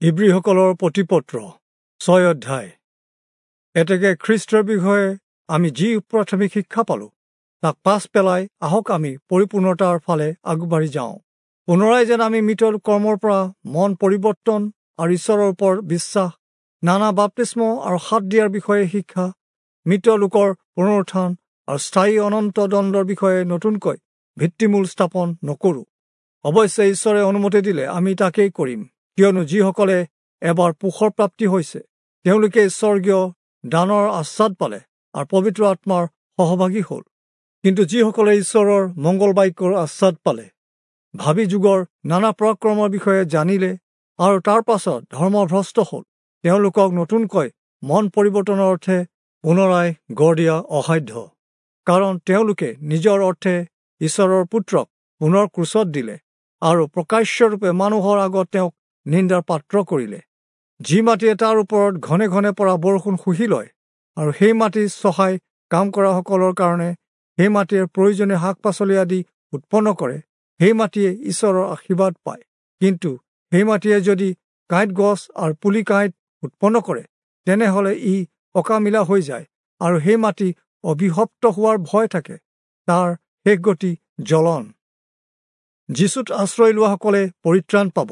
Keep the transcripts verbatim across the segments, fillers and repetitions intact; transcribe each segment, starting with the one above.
ইব্ৰীসকলৰ প্ৰতিপত্ৰ ছয় অধ্যায়। এতেকে খ্ৰীষ্টৰ বিষয়ে আমি যি প্ৰাথমিক শিক্ষা পালোঁ, তাক পাছ পেলাই আহক আমি পৰিপূৰ্ণতাৰ ফালে আগবাঢ়ি যাওঁ। পুনৰাই যেন আমি মৃত কৰ্মৰ পৰা মন পৰিৱৰ্তন আৰু ঈশ্বৰৰ ওপৰত বিশ্বাস, নানা বাপ্তিস্ম আৰু হাত দিয়াৰ বিষয়ে শিক্ষা, মৃত লোকৰ পুনৰুত্থান আৰু স্থায়ী অনন্ত দণ্ডৰ বিষয়ে নতুনকৈ ভিত্তিমূল স্থাপন নকৰোঁ। অৱশ্যে ঈশ্বৰে অনুমতি দিলে আমি তাকেই কৰিম, কিয়নো যিসকলে এবাৰ পোহৰ প্ৰাপ্তি হৈছে তেওঁলোকে স্বৰ্গীয় দানৰ আস্বাদ পালে আৰু পবিত্ৰ আত্মাৰ সহভাগী হ'ল। কিন্তু যিসকলে ঈশ্বৰৰ মংগল বাক্যৰ আস্বাদ পালে, ভাবি যুগৰ নানা পৰাক্ৰমৰ বিষয়ে জানিলে আৰু তাৰ পাছত ধৰ্মভ্ৰষ্ট হ'ল, তেওঁলোকক নতুনকৈ মন পৰিৱৰ্তনৰ অৰ্থে পুনৰাই গঢ় দিয়া অসাধ্য, কাৰণ তেওঁলোকে নিজৰ অৰ্থে ঈশ্বৰৰ পুত্ৰক পুনৰ ক্ৰুচত দিলে আৰু প্ৰকাশ্যৰূপে মানুহৰ আগত তেওঁক নিন্দাৰ পাত্ৰ কৰিলে। যি মাটিয়ে তাৰ ওপৰত ঘনে ঘনে পৰা বৰষুণ শুহি লয় আৰু সেই মাটি চহাই কাম কৰাসকলৰ কাৰণে সেই মাটিয়ে প্ৰয়োজনীয় শাক পাচলি আদি উৎপন্ন কৰে, সেই মাটিয়ে ঈশ্বৰৰ আশীৰ্বাদ পায়। কিন্তু সেই মাটিয়ে যদি কাঁইট গছ আৰু পুলি কাঁইট উৎপন্ন কৰে, তেনেহ'লে ই অকামিলা হৈ যায় আৰু সেই মাটি অভিশপ্ত হোৱাৰ ভয় থাকে, তাৰ শেষ গতি জ্বলন। যীচুত আশ্ৰয় লোৱাসকলে পৰিত্ৰাণ পাব।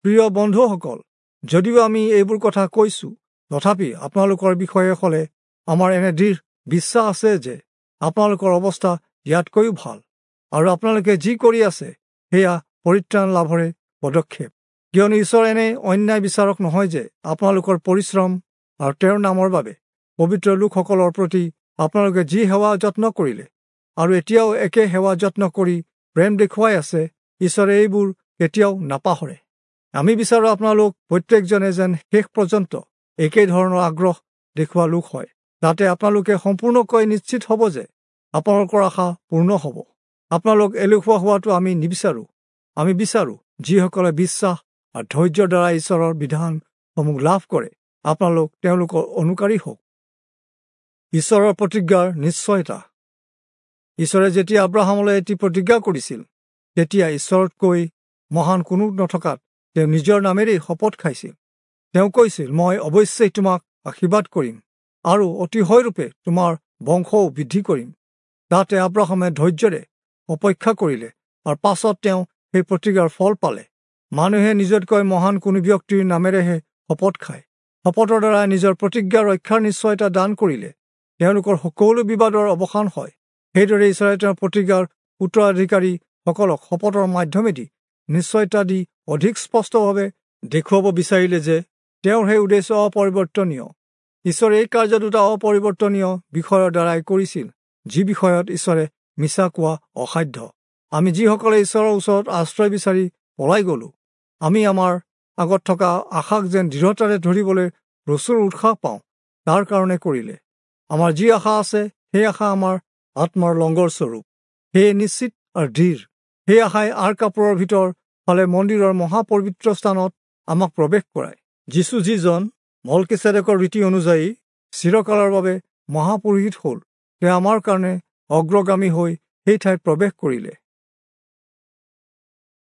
প্ৰিয় বন্ধুসকল, যদিও আমি এইবোৰ কথা কৈছোঁ, তথাপি আপোনালোকৰ বিষয়ে হ'লে আমাৰ এনে দৃঢ় বিশ্বাস আছে যে আপোনালোকৰ অৱস্থা ইয়াতকৈও ভাল আৰু আপোনালোকে যি কৰি আছে সেয়া পৰিত্ৰাণ লাভৰে পদক্ষেপ। কিয়নো ঈশ্বৰ এনে অন্যায় বিচাৰক নহয় যে আপোনালোকৰ পৰিশ্ৰম আৰু তেওঁৰ নামৰ বাবে পবিত্ৰ লোকসকলৰ প্ৰতি আপোনালোকে যি সেৱা যত্ন কৰিলে আৰু এতিয়াও একে সেৱা যত্ন কৰি প্ৰেম দেখুৱাই আছে, ঈশ্বৰে এইবোৰ কেতিয়াও নাপাহৰে। আমি বিচাৰোঁ আপোনালোক প্ৰত্যেকজনে যেন শেষ পৰ্যন্ত একেই ধৰণৰ আগ্ৰহ দেখুওৱা লোক হয়, যাতে আপোনালোকে সম্পূৰ্ণকৈ নিশ্চিত হ'ব যে আপোনালোকৰ আশা পূৰ্ণ হ'ব। আপোনালোক এলেহুৱা হোৱাটো আমি নিবিচাৰোঁ। আমি বিচাৰোঁ যিসকলে বিশ্বাস আৰু ধৈৰ্যৰ দ্বাৰা ঈশ্বৰৰ বিধানসমূহ লাভ কৰে, আপোনালোক তেওঁলোকৰ অনুকাৰী হওক। ঈশ্বৰৰ প্ৰতিজ্ঞাৰ নিশ্চয়তা। ঈশ্বৰে যেতিয়া আব্ৰাহামলৈ এটি প্ৰতিজ্ঞা কৰিছিল, তেতিয়া ঈশ্বৰতকৈ মহান কোনো নথকাত তেওঁ নিজৰ নামেৰেই শপত খাইছিল। তেওঁ কৈছিল, মই অৱশ্যেই তোমাক আশীৰ্বাদ কৰিম আৰু অতিশয়ৰূপে তোমাৰ বংশও বৃদ্ধি কৰিম। তাতে আব্ৰাহামে ধৈৰ্যৰে অপেক্ষা কৰিলে আৰু পাছত তেওঁ সেই প্ৰতিজ্ঞাৰ ফল পালে। মানুহে নিজতকৈ মহান কোনো ব্যক্তিৰ নামেৰেহে শপত খায়। শপতৰ দ্বাৰা নিজৰ প্ৰতিজ্ঞা ৰক্ষাৰ নিশ্চয়তা দান কৰিলে তেওঁলোকৰ সকলো বিবাদৰ অৱসান হয়। সেইদৰে ঈশ্বৰে তেওঁৰ প্ৰতিজ্ঞাৰ উত্তৰাধিকাৰীসকলক শপতৰ মাধ্যমেদি নিশ্চয়তা দি অধিক স্পষ্টভাৱে দেখুৱাব বিচাৰিলে যে তেওঁৰ সেই উদ্দেশ্য অপৰিৱৰ্তনীয়। ঈশ্বৰে এই কাৰ্য দুটা অপৰিৱৰ্তনীয় বিষয়ৰ দ্বাৰাই কৰিছিল, যি বিষয়ত ঈশ্বৰে মিছা কোৱা অসাধ্য। আমি যিসকলে ঈশ্বৰৰ ওচৰত আশ্ৰয় বিচাৰি পলাই গ'লোঁ, আমি আমাৰ আগত থকা আশাক যেন দৃঢ়তাৰে ধৰিবলৈ প্ৰচুৰ উৎসাহ পাওঁ, তাৰ কাৰণে কৰিলে। আমাৰ যি আশা আছে, সেই আশা আমাৰ আত্মাৰ লংগৰ স্বৰূপ, সেয়ে নিশ্চিত আৰু দৃঢ়। সেই আশাই আঁৰ কাপোৰৰ ভিতৰ ফালে মন্দিৰৰ মহাপবিত্ৰ স্থানত আমাক প্ৰৱেশ কৰায়। যীচু যিজন মল্কিচেদেকৰ ৰীতি অনুযায়ী চিৰকালৰ বাবে মহাপুৰোহিত হ'ল, তেওঁ আমাৰ কাৰণে অগ্ৰগামী হৈ সেই ঠাইত প্ৰৱেশ কৰিলে।